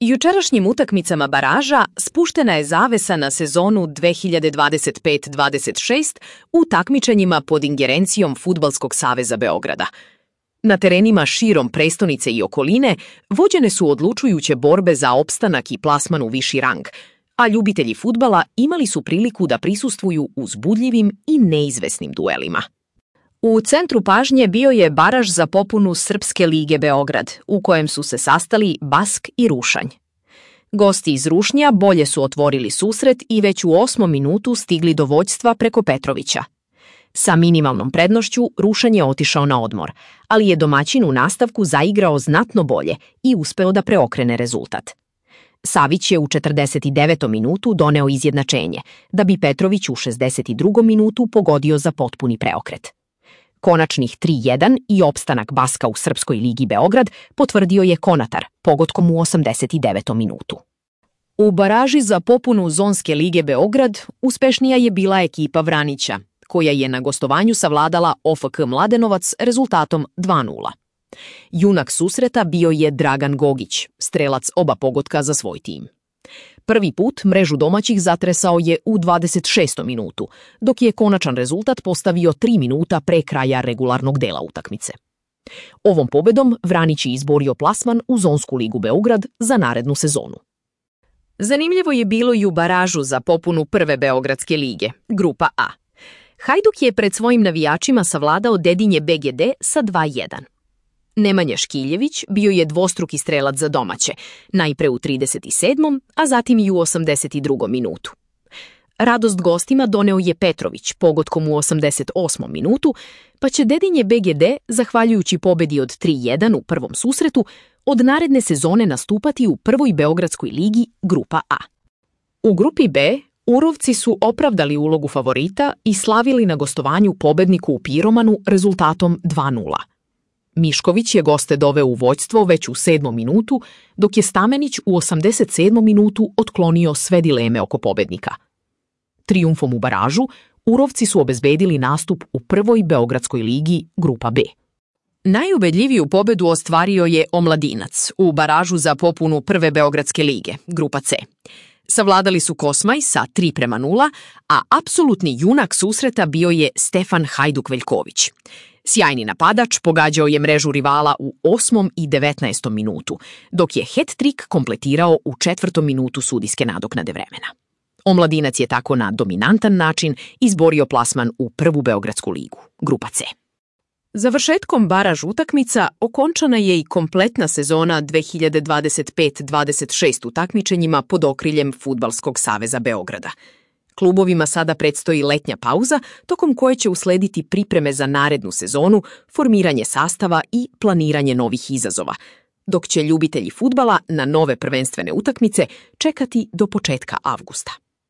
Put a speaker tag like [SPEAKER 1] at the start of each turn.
[SPEAKER 1] Jučerašnjim utakmicama baraža spuštena je zavesa na sezonu 2025-26 u takmičenjima pod ingerencijom Fudbalskog saveza Beograda. Na terenima širom prestonice i okoline vođene su odlučujuće borbe za opstanak i plasman u viši rang, a ljubitelji fudbala imali su priliku da prisustvuju uzbudljivim i neizvesnim duelima. U centru pažnje bio je baraž za popunu Srpske lige Beograd, u kojem su se sastali Bask i Rušanj. Gosti iz Rušnja bolje su otvorili susret i već u 8. minutu stigli do vođstva preko Petrovića. Sa minimalnom prednošću Rušanj je otišao na odmor, ali je domaćin u nastavku zaigrao znatno bolje i uspeo da preokrene rezultat. Savić je u 49. minutu doneo izjednačenje, da bi Petrović u 62. minutu pogodio za potpuni preokret. Konačnih 3:1 i opstanak Baska u Srpskoj ligi Beograd potvrdio je Konatar pogodkom u 89. minutu. U baraži za popunu Zonske lige Beograd uspešnija je bila ekipa Vranića, koja je na gostovanju savladala OFK Mladenovac rezultatom 2:0. Junak susreta bio je Dragan Gogić, strelac oba pogotka za svoj tim. Prvi put mrežu domaćih zatresao je u 26. minutu, dok je konačan rezultat postavio 3 minuta pre kraja regularnog dela utakmice. Ovom pobedom Vranić je izborio plasman u Zonsku ligu Beograd za narednu sezonu. Zanimljivo je bilo i u baražu za popunu prve Beogradske lige, grupa A. Hajduk je pred svojim navijačima savladao Dedinje BGD sa 2:1. Nemanja Škiljević bio je dvostruki strelac za domaće, najpre u 37. a zatim i u 82. minutu. Radost gostima doneo je Petrović pogotkom u 88. minutu, pa će Dedinje BGD, zahvaljujući pobedi od 3:1 u prvom susretu, od naredne sezone nastupati u prvoj Beogradskoj ligi grupa A. U grupi B Urovci su opravdali ulogu favorita i slavili na gostovanju pobedniku u Piromanu rezultatom 2:0. Mišković je goste doveo u vođstvo već u 7. minutu, dok je Stamenić u 87. minutu otklonio sve dileme oko pobednika. Trijumfom u baražu, Urovci su obezbedili nastup u prvoj Beogradskoj ligi grupa B. Najubedljiviju pobedu ostvario je Omladinac u baražu za popunu prve Beogradske lige, grupa C. Savladali su Kosmaj sa 3:0, a apsolutni junak susreta bio je Stefan Hajduk Veljković. Sjajni napadač pogađao je mrežu rivala u 8. i 19. minutu, dok je hat-trik kompletirao u 4. minutu sudijske nadoknade vremena. Omladinac je tako na dominantan način izborio plasman u prvu Beogradsku ligu, grupa C. Završetkom baraž utakmica okončana je i kompletna sezona 2025-26 u takmičenjima pod okriljem Fudbalskog saveza Beograda. Klubovima sada predstoji letnja pauza, tokom koje će uslediti pripreme za narednu sezonu, formiranje sastava i planiranje novih izazova, dok će ljubitelji fudbala na nove prvenstvene utakmice čekati do početka avgusta.